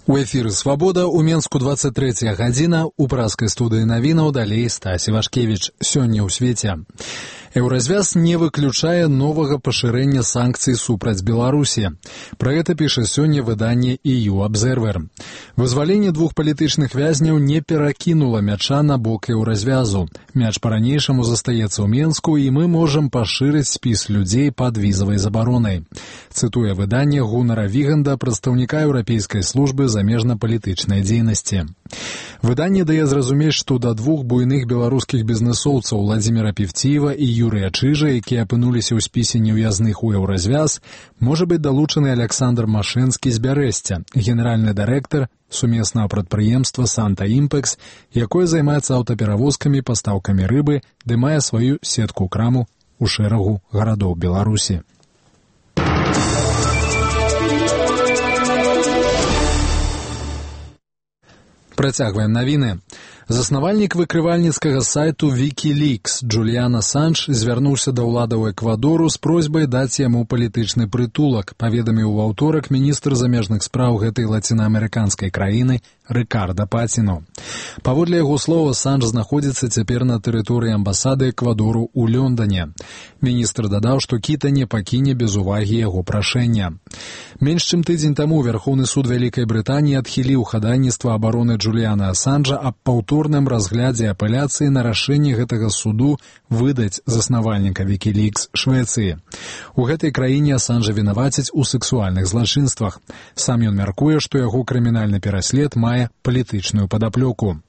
У эфіры «Свабода» у Менску 23 гадзіна, у праскай студыі навінаў далей Стась Івашкевіч. Сёння ў свеце. Еўразвяз не выключае новага пашырэння санкцый супраць Беларусі. Пра гэта піша сёння выданне EU Observer. Вызваленне двух палітычных вязняў не перакінула мяча на бок еўразвязу. Мяч па-ранейшаму застаецца ў Менску, і мы можам пашырыць спіс людзей пад візавай забаронай. Цытуе выданне Гунара Віганда, прадстаўніка Еўрапейскай службы замежна-палітычнай дзейнасці. Выданне дае зразумець, што да двух буйных беларускіх бізнэсоўцаў Владзіміра Певціева і Юрыя Чыжа, якія апынуліся ў спісе неўязных у еўразвяз, можа быць далучаны Александр Машэнскі з Бярэсця, генеральны дырэктар сумеснага прадпрыемства «Санта Імпэкс», якое займаецца аўтаперавозкамі, пастаўкамі рыбы, ды мае сваю сетку-краму ў шэрагу гарадоў Беларусі. Працягваем навіны. Заснавальнік выкрывальніцкага сайту Wikileaks Джуліан Асанж звярнуўся да ўладаў Эквадору з просьбай даць яму палітычны прытулак, паведаміў у аўторак міністр замежных спраў гэтай лацінаамерыканскай краіны Рыкарда Паціно. Паводле яго слова, Асанж знаходзіцца цяпер на тэрыторыі амбасады Эквадору ў Лондане. Міністр дадаў, што Кіта не пакіне без увагі яго прашэння. Менш чым тыдзень таму Вярхоўны суд Вялікай Брытаніі адхіліў хадайніцтва абароны Джуліана Асанжа аб паўторным разглядзе апеляцыі на рашэнне гэтага суду выдаць заснавальніка Wikileaks Швецыі. У гэтай краіне Асанжа вінавацяць у сексуальных злачынствах. Сам ён мяркуе, што яго крымінальны пераслед мае палітычную падаплёку.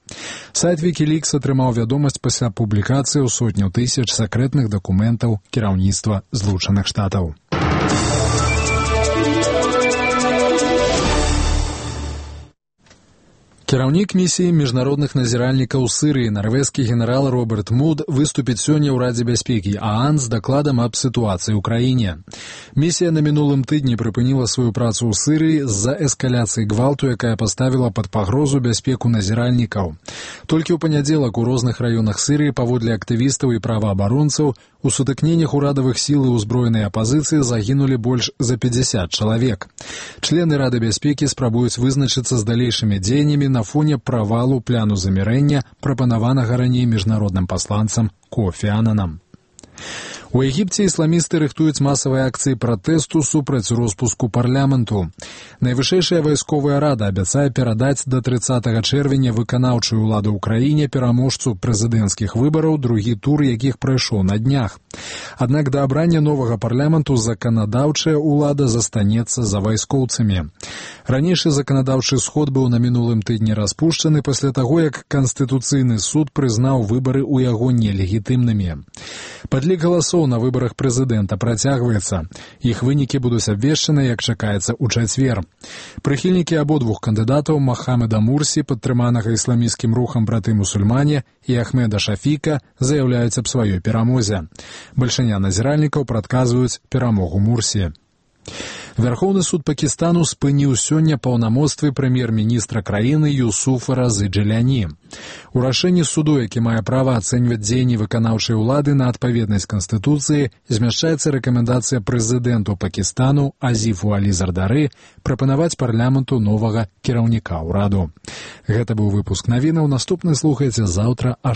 Сайт Wikileaks атрымаў вядомасць пасля публікацыі ў сотняў тысяч сакрэтных дакументаў кіраўніцтва Злучаных Штатаў. Кіраўнік місіі міжнародных назіральнікаў Сырыі, нарвежскі генерал Роберт Муд, выступіць сёння ў Радзе бяспекі ААН з дакладам аб сітуацыі ў краіне. Місія на мінулым тыдні прыпыніла сваю працу ў Сырыі з-за эскаляцыі гвалту, якая паставіла пад пагрозу бяспеку назіральнікаў. Толькі ў панядзелак у розных раёнах Сырыі паводле актывістаў і праваабаронцаў у сутыкненнях урадавых сіл і ўзброенай апазіцыі загінулі больш за 50 чалавек. Члены Рады бяспекі спрабуюць вызначыцца з далейшымі дзеяннямі на фоне правалу пляну замірэння, прапанаванага раней міжнародным пасланцам Кофі Ананам. У Егіпце ісламісты рыхтуюць масавыя акцыі пратэсту супраць роспуску парламенту. Найвышэйшая вайсковая рада абяцае перадаць да 30 чэрвеня выканаўчую ўладу ў краіне пераможцу прэзідэнцкіх выбараў, другі тур якіх прайшоў на днях. Аднак да абрання новага парламенту заканадаўчая ўлада застанецца за вайскоўцамі. Ранейшы заканадаўчы сход быў на мінулым тыдні распушчаны пасля таго, як Канстытуцыйны суд прызнаў выбары ў яго нелегітымнымі. Падлік галасоў на выбарах прэзідэнта працягваецца. Іх вынікі будуць абвешчаны, як чакаецца, у чацвер. Прыхільнікі абодвух кандыдатаў Махамеда Мурсі, падтрыманага ісламісцкім рухам браты-мусульмане, і Ахмеда Шафіка заяўляюць аб сваёй перамозе. Бальшыня назіральнікаў прадказваюць перамогу Мурсі. Вярхоўны суд Пакістану спыніў сёння паўнамоцтвы прэм'ер-міністра краіны Юсуфа Разы Джыляні. У рашэнні суду, які мае права ацэньваць дзеянні выканаўчай улады на адпаведнасць Канстытуцыі, змяшчаецца рэкамендацыя прэзідэнту Пакістану Азіфу Алі Зардары прапанаваць парламенту новага кіраўніка ўраду. Гэта быў выпуск навінаў. Наступны слухайце заўтра а